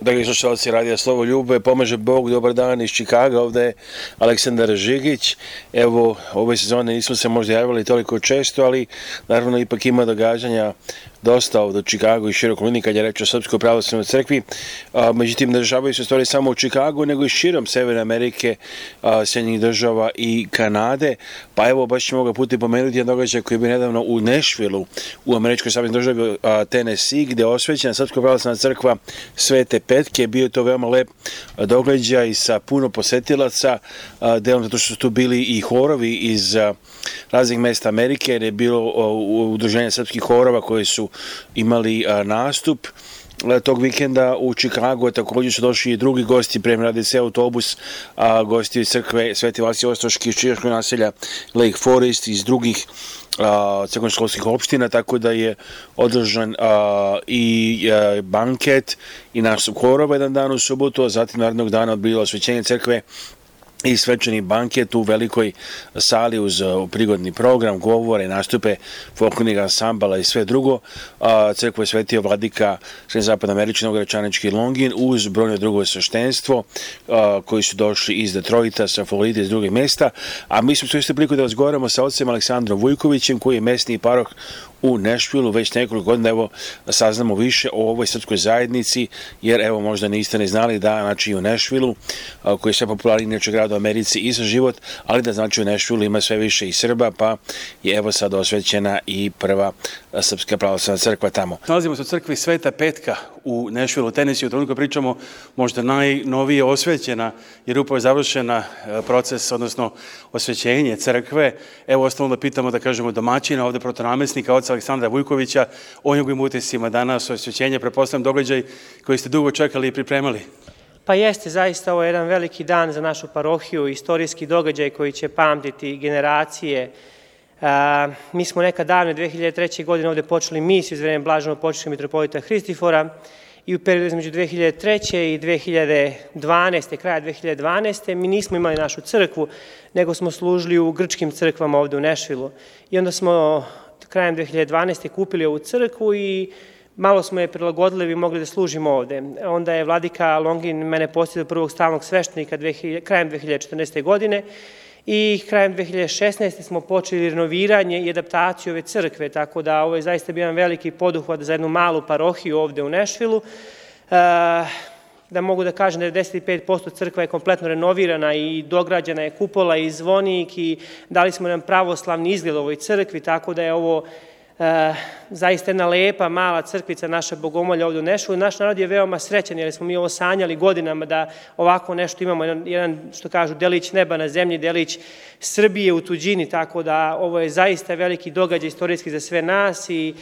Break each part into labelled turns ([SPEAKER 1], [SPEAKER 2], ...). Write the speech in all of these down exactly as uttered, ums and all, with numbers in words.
[SPEAKER 1] Dragi slušalci Radija Slovo Ljube, pomaže Bog, dobar dan iz Čikaga, ovde je Aleksandar Žigić. Evo, ove sezone nismo se možda javili toliko često, ali naravno ipak ima događanja dosta ovde u Čikagu i široko lini kad je reč o Srpskoj pravoslavnoj crkvi. Međutim, ne dešavaju se stvari samo u Čikagu, nego i širom Severne Amerike, Sjedinjenih država i Kanade. Pa evo, baš ćemo ga puti pomenuti jedan događaj koji je bio nedavno u Nešvilu, u američkoj saveznoj državi Tennessee, gde je osvećena Srpska pravoslavna crkva Svete Petke. Bio je to veoma lep događaj sa puno posetilaca, delom zato što su tu bili i horovi iz raznih mesta Amerike, jer je bilo udruženje srpskih horova koji su imali nastup tog vikenda u Čikagu. Također su došli i drugi gosti, prema radi se autobus, gosti iz crkve Sveti Vasilij Ostroški iz čikaškog naselja Lake Forest, iz drugih crkvenoškolskih opština, tako da je održan i banket i nastup horova jedan dan u subotu, a zatim narednog dana odbilo osvećenje crkve i svečani banket u velikoj sali uz prigodni program, govore, nastupe folklornih ansambala i sve drugo. Crkvu je svetio vladika Srednjozapadnoamerički Novogradčanički Longin uz brojno drugo sveštenstvo koji su došli iz Detroita, sa Floride, iz drugih mesta. A mi smo se isto priliku da razgovaramo sa ocem Aleksandrom Vujkovićem, koji je mesni paroh u Nešvilu već nekoliko godina. Evo, saznamo više o ovoj srpskoj zajednici, jer evo možda niste ne znali da znači u Nešvilu, koji je sve popularniji inače grad u Americi i za život, ali da znači u Nešvilu ima sve više i Srba, pa je evo sad osvećena i prva Srpska pravoslavna crkva tamo.
[SPEAKER 2] Nalazimo se u crkvi Sveta Petka u Nešvilu, Tennessee. U trenutku pričamo možda najnovije osvećena, jer upravo je završena proces, odnosno osvećenje crkve. Evo, ostalo da pitamo, da kažemo, domaćina, ovde protonamestnika, oca Aleksandra Vujkovića, o njegovim utiscima danas osvećenje, pretpostavljam događaj koji ste dugo čekali i pripremali.
[SPEAKER 3] Pa jeste, zaista ovo je jedan veliki dan za našu parohiju, istorijski događaj koji će pamtiti generacije. Mi smo nekad davne dve hiljade treće. godine ovde počeli misiju iz vremena blaženog počivšeg mitropolita Hristifora i u periodu između dve hiljade treće. i dve hiljade dvanaeste. kraja dve hiljade dvanaeste. mi nismo imali našu crkvu, nego smo služili u grčkim crkvama ovde u Nešvilu. I onda smo krajem dve hiljade dvanaeste. kupili ovu crkvu i malo smo je prilagodili da bi mogli da služimo ovde. Onda je vladika Longin mene postavio prvog stalnog sveštenika krajem dve hiljade četrnaeste. godine i krajem dve hiljade šesnaeste. smo počeli renoviranje i adaptaciju ove crkve, tako da ovo je zaista bio jedan veliki poduhvat za jednu malu parohiju ovde u Nešvilu. Da mogu da kažem da je devedeset pet posto crkva je kompletno renovirana i dograđena je kupola i zvonik i dali smo jedan pravoslavni izgled ovoj crkvi, tako da je ovo zaista jedna lepa, mala crkvica, naša Bogomolja ovde u Nešvilu. Naš narod je veoma srećan jer smo mi ovo sanjali godinama da ovako nešto imamo, jedan, što kažu, delić neba na zemlji, delić Srbije u tuđini, tako da ovo je zaista veliki događaj istorijski za sve nas i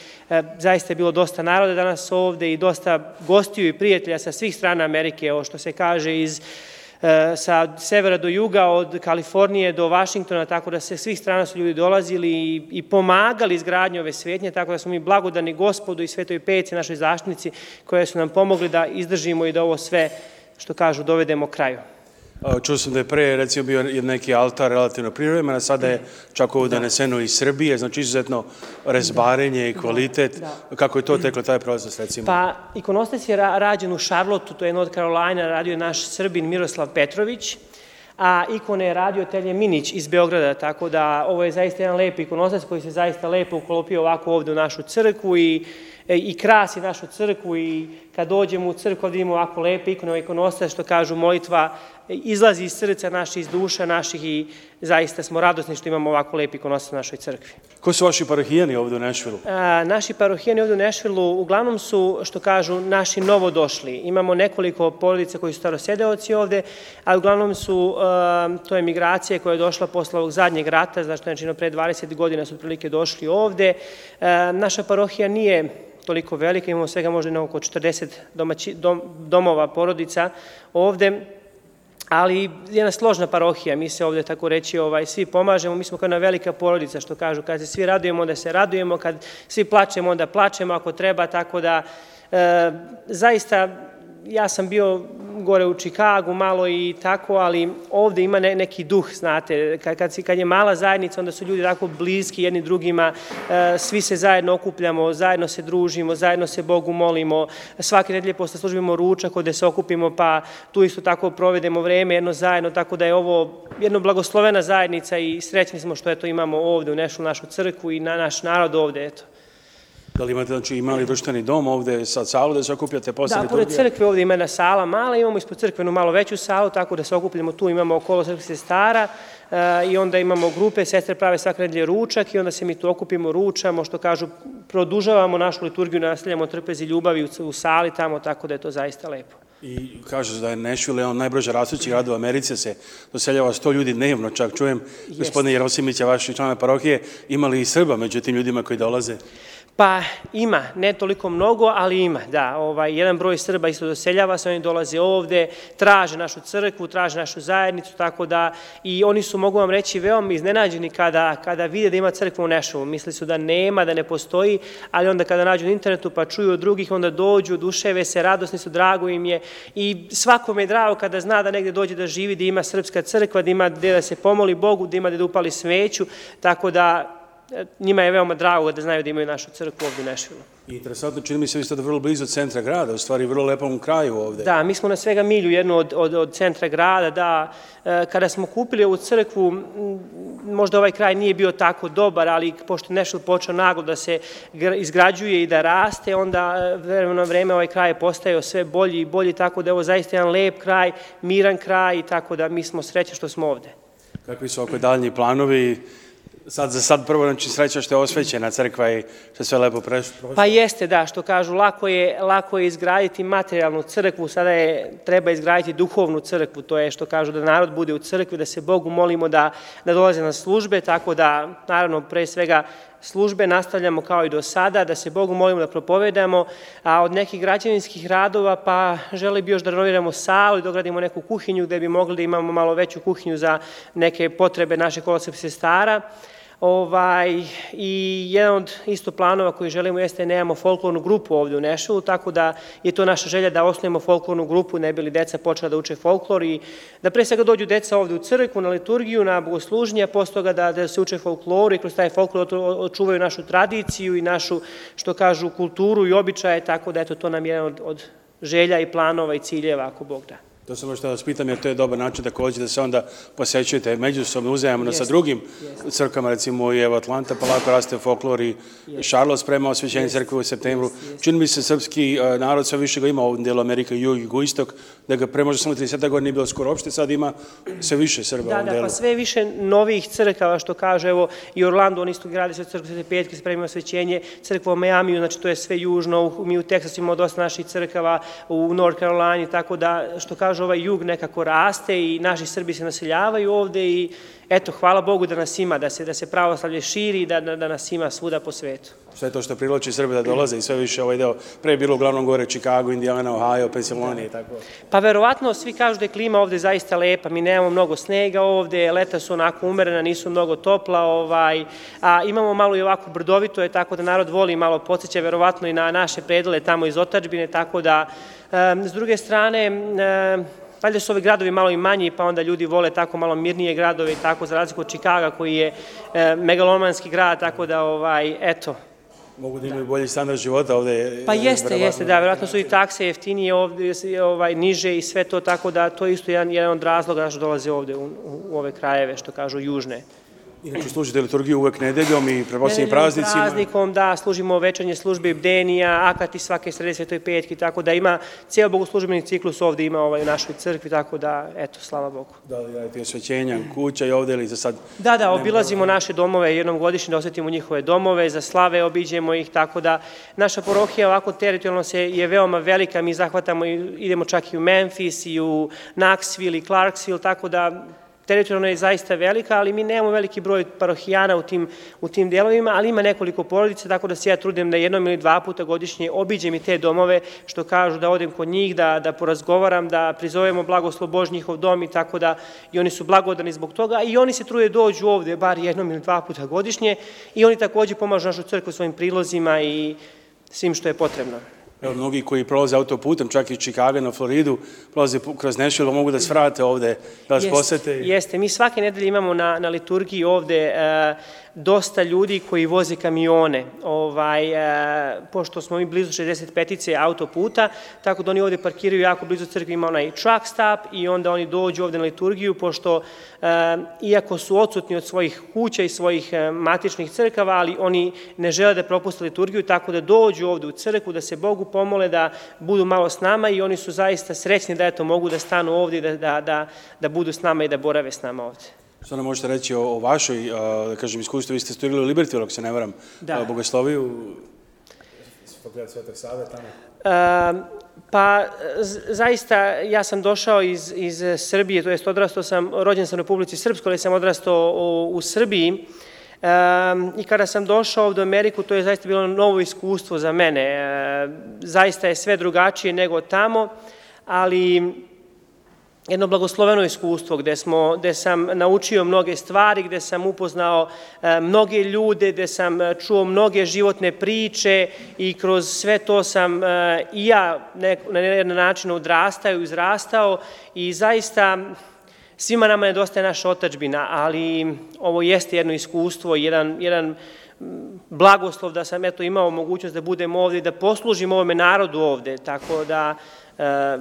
[SPEAKER 3] zaista je bilo dosta naroda danas ovde i dosta gostiju i prijatelja sa svih strana Amerike, ovo što se kaže iz sa severa do juga, od Kalifornije do Vašingtona, tako da se svih strana su ljudi dolazili i, i pomagali izgradnju ove svetnje, tako da smo mi blagodani Gospodu i Svetoj Petci, našoj zaštitnici, koje su nam pomogli da izdržimo i da ovo sve, što kažu, dovedemo kraju.
[SPEAKER 2] Čuo sam da je pre, recimo, bio neki altar relativno privremen, a sada je čak ovo doneseno iz Srbije, znači izuzetno rezbarenje i kvalitet. Kako je to teklo, taj proces, recimo?
[SPEAKER 3] Pa, ikonostas je rađen u Charlotteu, to je North Carolina, radio je naš Srbin Miroslav Petrović, a ikone je radio Telje Minić iz Beograda, tako da ovo je zaista jedan lep ikonostas koji se zaista lepo uklopio ovako ovde u našu crkvu i i krasi našu crkvu i kad dođemo u crkvu ovdje imamo ovako lepe ikone, ikonostas, što kažu, molitva izlazi iz srca naših, iz duša naših i zaista smo radosni što imamo ovako lepe ikonostas u našoj crkvi.
[SPEAKER 2] Ko su vaši parohijani ovde u Nešvilu?
[SPEAKER 3] Naši parohijani ovde u Nešvilu uglavnom su, što kažu, naši novodošli. Imamo nekoliko porodica koji su starosedeoci ovde, a uglavnom su, to je migracija koja je došla posle ovog zadnjeg rata, znači pre dvadeset godina su otprilike došli ovde. Naša parohija nije toliko velika, imamo svega možda oko četrdeset domova, porodica ovde, ali jedna složna parohija, mi se ovde, tako reći, svi pomažemo, mi smo kao jedna velika porodica, što kažu, kad se svi radujemo, onda se radujemo, kad svi plačemo, onda plačemo ako treba, tako da zaista ja sam bio gore u Čikagu malo i tako, ali ovde ima neki duh, znate, kad je mala zajednica, onda su ljudi tako bliski jedni drugima, svi se zajedno okupljamo, zajedno se družimo, zajedno se Bogu molimo, svake nedelje posle služimo ručak, gde se okupimo, pa tu isto tako provedemo vreme jedno zajedno, tako da je ovo jedno blagoslovena zajednica i srećni smo što eto imamo ovde u našu našu crkvu i na naš narod ovde, eto.
[SPEAKER 2] Da li imate, znači, imali društveni dom ovde, sad salu da se okupljate posle liturgije?
[SPEAKER 3] Da, pored crkve ovde ima jedna sala mala, imamo ispod crkvenu malo veću salu, tako da se okupljamo tu, imamo okolo crkve sestara i onda imamo grupe, sestre prave svake nedelje ručak i onda se mi tu okupimo, ručamo, što kažu, produžavamo našu liturgiju, nastavljamo trpezi ljubavi u sali tamo, tako da je to zaista lepo.
[SPEAKER 2] I kaže da je Nashville on najbrže rastući grad u Americi, se doseljava sto ljudi dnevno, čak čujem, gospodine Jerosimića, vaši članove parohije, imali i Srba među tim ljudima koji dolaze?
[SPEAKER 3] Pa ima, ne toliko mnogo, ali ima, da. Jedan broj Srba isto doseljava se, oni dolaze ovde, traže našu crkvu, traže našu zajednicu, tako da i oni su, mogu vam reći, veoma iznenađeni kada vide da ima crkva u Nashvilleu. Misli su da nema, da ne postoji, ali onda kada nađu na internetu pa čuju od drugih, onda dođu, oduševe se, radosni su, drago im je i svakome je drago kada zna da negde dođe da živi, da ima srpska crkva, da ima gde da se pomoli Bogu, da ima gde da upali sveću, tako da njima je veoma drago da znaju da imaju našu crkvu ovde u Nashvilleu.
[SPEAKER 2] Interesantno, čini mi se vi ste vrlo blizu centra grada, u stvari vrlo lepom kraju ovde.
[SPEAKER 3] Da, mi smo na svega milju jednu od centra grada, da, kada smo kupili ovu crkvu, možda ovaj kraj nije bio tako dobar, ali pošto je Nashville počeo naglo da se izgrađuje i da raste, onda vremeno vreme ovaj kraj je postajao sve bolji i bolji, tako da je ovo zaista jedan lep kraj, miran kraj, tako da mi smo srećni što smo ovde.
[SPEAKER 2] Kakvi su oko daljnji planovi? Sad za sad prvo, znači sreća što je osvećena crkva i što je sve lepo prešlo.
[SPEAKER 3] Pa jeste, da, što kažu, lako je izgraditi materijalnu crkvu, sada treba izgraditi duhovnu crkvu, to je što kažu da narod bude u crkvi, da se Bogu molimo da dolaze na službe, tako da, naravno, pre svega službe nastavljamo kao i do sada, da se Bogu molimo da propovedamo, a od nekih građevinskih radova pa želi bi još da renoviramo salu i dogradimo neku kuhinju gde bi mogli da imamo malo veću kuhinju za neke potrebe naših kolosrpskih sestara. I jedan od isto planova koji želimo jeste da nemamo folklornu grupu ovde u Nashvilleu, tako da je to naša želja da osnovimo folklornu grupu, ne bi li deca počela da uče folklor i da pre svega dođu deca ovde u crkvu, na liturgiju, na bogosluženje, a posle toga da se uče folkloru i kroz taj folklor očuvaju našu tradiciju i našu, što kažu, kulturu i običaje, tako da eto to nam je jedan od želja i planova i ciljeva, ako Bog da.
[SPEAKER 2] To sam možda da vas pitam, jer to je dobar način takođe da se onda posećujete međusobno, uzajamno sa drugim crkvama, recimo i evo Atlanta, pa lako raste folklor i Charlotte sprema osvećenje crkve u septembru. Čini mi se srpski narod sve više ga ima u ovom delu Amerika, jug i jugoistok, da ga pre možda samo trideset godina nije bilo skoro uopšte, sad ima sve više Srba u ovom delu.
[SPEAKER 3] Da, da, pa sve više novih crkava, što kaže, evo i Orlando, on isto gradi sve crkve Svete Petke, spremimo osvećenje, crkva u Majamiju, znači to je sve južno, mi u Teksasu imamo dosta naših crkava, u North Carolina, tako da, što kaže, ovaj jug nekako raste i naši Srbi se naseljavaju ovde i eto, hvala Bogu da nas ima, da se pravoslavlje širi i da nas ima svuda po svetu.
[SPEAKER 2] Sve to što privlači Srbe da dolaze i sve više ovaj deo, pre je bilo uglavnom gore Chicago, Indiana, Ohio, Pensilvanija i tako.
[SPEAKER 3] Pa verovatno svi kažu da je klima ovde zaista lepa, mi nemamo mnogo snega ovde, leta su onako umerena, nisu mnogo topla, a imamo malo i ovako brdovito je, tako da narod voli malo podsjeća verovatno i na naše predele tamo iz otadžbine, tako da s druge strane valjda su ovi gradovi malo i manji, pa onda ljudi vole tako malo mirnije gradove i tako, za razliku od Čikaga koji je megalomanski grad, tako da, eto.
[SPEAKER 2] Mogu da imaju bolji standard života ovde?
[SPEAKER 3] Pa jeste, jeste, da, verovatno su i takse jeftinije ovde, niže i sve to, tako da to je isto jedan od razloga što dolaze ovde u ove krajeve, što kažu, južne.
[SPEAKER 2] Inače, služite liturgiju uvek nedeljom i preposlednjim praznicima?
[SPEAKER 3] Praznikom, da, služimo večernje službe, bdenija, akati svake srede Svetoj Petki, tako da ima cijel bogoslužbeni ciklus ovde ima u našoj crkvi, tako da, eto, slava Bogu.
[SPEAKER 2] Da li radite osvećenja, kuća i ovde ili za sad?
[SPEAKER 3] Da, da, obilazimo naše domove jednom godišnje da osvetimo njihove domove, za slave obiđemo ih, tako da naša parohija ovako teritorijalno je veoma velika, mi zahvatamo, idemo čak i u Memphis i u Knoxville i Clarksville, tako da teritorijalno je zaista velika, ali mi nemamo veliki broj parohijana u tim delovima, ali ima nekoliko porodica, tako da se ja trudim da jednom ili dva puta godišnje obiđem i te domove, što kažu da odem kod njih, da porazgovaram, da prizovemo blagoslov Božji njihov dom i tako da i oni su blagodani zbog toga i oni se trude dođu ovde bar jednom ili dva puta godišnje i oni takođe pomažu našu crkvu svojim prilozima i svim što je potrebno.
[SPEAKER 2] Evo, mnogi koji prolaze autoputem, čak iz Čikaga na Floridu, prolaze kroz Nashville, mogu da svrate ovde, da vas posete.
[SPEAKER 3] Jeste, mi svake nedelje imamo na, na liturgiji ovde e, dosta ljudi koji voze kamione, ovaj, e, pošto smo mi blizu šezdeset petice autoputa, tako da oni ovde parkiraju jako blizu crkve, ima onaj truck stop i onda oni dođu ovde na liturgiju, pošto e, iako su odsutni od svojih kuća i svojih e, matičnih crkava, ali oni ne žele da propuste liturgiju, tako da dođu ovde u crkvu, da se Bogu pomole, da budu malo s nama i oni su zaista srećni da eto mogu da stanu ovde i da, da, da, da budu s nama i da borave s nama ovde.
[SPEAKER 2] Što nam možete reći o, o vašoj, da kažem, iskustvu? Vi ste studirali u Libertyville, ako se ne varam, da. Bogosloviju, Fakultet Svetog Save tamo?
[SPEAKER 3] Uh, pa, zaista, ja sam došao iz, iz Srbije, to jest odrastao sam, rođen sam u Republici Srpskoj, ali sam odrastao u, u Srbiji. Um, I kada sam došao ovde u Ameriku, to je zaista bilo novo iskustvo za mene. E, zaista je sve drugačije nego tamo, ali jedno blagosloveno iskustvo gde, smo, gde sam naučio mnoge stvari, gde sam upoznao e, mnoge ljude, gde sam čuo mnoge životne priče i kroz sve to sam e, i ja nek, na jedan način odrastao i izrastao i zaista svima nama nedostaje naša otadžbina, ali ovo jeste jedno iskustvo, jedan, jedan blagoslov da sam eto imao mogućnost da budem ovde i da poslužim ovome narodu ovde, tako da e,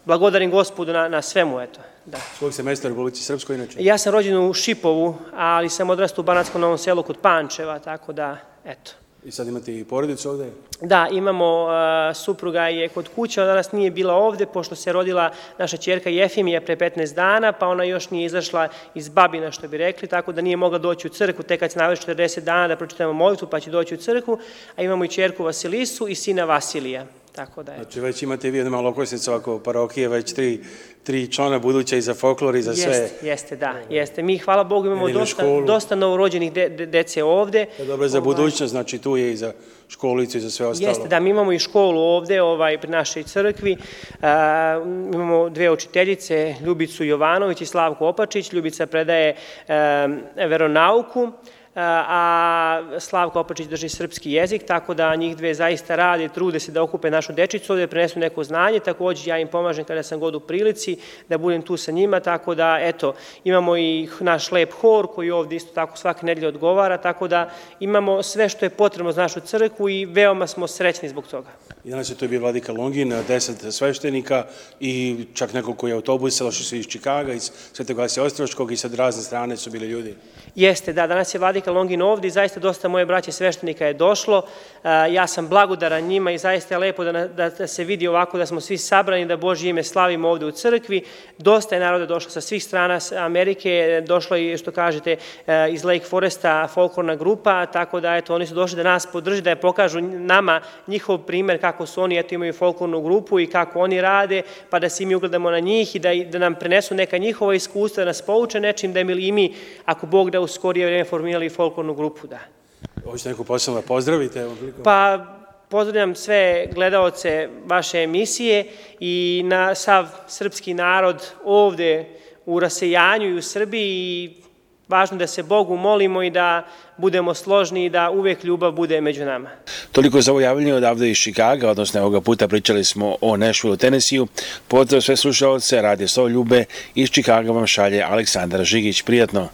[SPEAKER 3] blagodarim Gospodu na, na svemu, eto. Da.
[SPEAKER 2] S kojeg ste mesta u Republici Srpskoj inače?
[SPEAKER 3] Ja sam rođen u Šipovu, ali sam odrastao u Banatskom Novom Selu kod Pančeva, tako da, eto.
[SPEAKER 2] I sad imate i porodicu ovde?
[SPEAKER 3] Da, imamo, uh, supruga je kod kuće, ona danas nije bila ovde, pošto se rodila naša ćerka Jefimija pre petnaest dana, pa ona još nije izašla iz babina, što bi rekli, tako da nije mogla doći u crkvu, tek kad se navrši četrdeset dana da pročitamo molitvu, pa će doći u crkvu, a imamo i ćerku Vasilisu i sina Vasilija. Tako da je.
[SPEAKER 2] Znači već imate vi jednu malo okosnicu ovako parohije, već tri, tri člana buduća i za folklor i za sve.
[SPEAKER 3] Jeste, jeste, da, jeste. Mi, hvala Bogu, imamo dosta, dosta novorođenih de, de, dece ovde.
[SPEAKER 2] To je dobro za budućnost, znači tu je i za školicu i za sve ostalo.
[SPEAKER 3] Jeste, da, mi imamo i školu ovde, ovaj, pri našoj crkvi. A, imamo dve učiteljice, Ljubicu Jovanović i Slavku Opačić. Ljubica predaje a, veronauku, a Slavko Opačić drži srpski jezik, tako da njih dve zaista rade, trude se da okupe našu dečicu ovde, prenesu neko znanje, takođe ja im pomažem kada sam god u prilici da budem tu sa njima, tako da eto, imamo i naš lep hor koji ovde isto tako svake nedelje odgovara, tako da imamo sve što je potrebno za našu crkvu i veoma smo srećni zbog toga.
[SPEAKER 2] I danas je to bio vladika Longin, deset sveštenika i čak nekoliko je autobusa, došli su iz Čikaga, iz Svetog Vasija Ostroškog i sad razne strane su bili ljudi.
[SPEAKER 3] Jeste, da, danas je vladika Longin ovde i zaista dosta moje braće sveštenika je došlo. Ja sam blagodaran njima i zaista je lepo da, da, da se vidi ovako da smo svi sabrani, da Božje ime slavimo ovde u crkvi. Dosta je naroda došlo sa svih strana Amerike, došlo i što kažete iz Lake Foresta folklorna grupa, tako da eto oni su došli da nas podrže, da je pokažu nama njihov primer kako su oni, eto imaju folklornu grupu i kako oni rade, pa da se i mi ugledamo na njih i da, da nam prenesu neka njihova iskustva, da nas pouče nečim, da i mi, ako Bog da u skorije vreme formirali folklornu grupu, da.
[SPEAKER 2] Hoćete neko posebno da pozdravite?
[SPEAKER 3] Pa, pozdravljam sve gledaoce vaše emisije i na sav srpski narod ovde u rasejanju i u Srbiji i važno da se Bogu molimo i da budemo složni i da uvek ljubav bude među nama.
[SPEAKER 1] Toliko za ovo javljanje odavde iz Čikaga, odnosno ovoga puta pričali smo o Nashvilleu, Tennesseeu. Pozdrav sve slušaoce, Radio Slovo Ljube iz Čikaga vam šalje Aleksandar Žigić. Prijatno!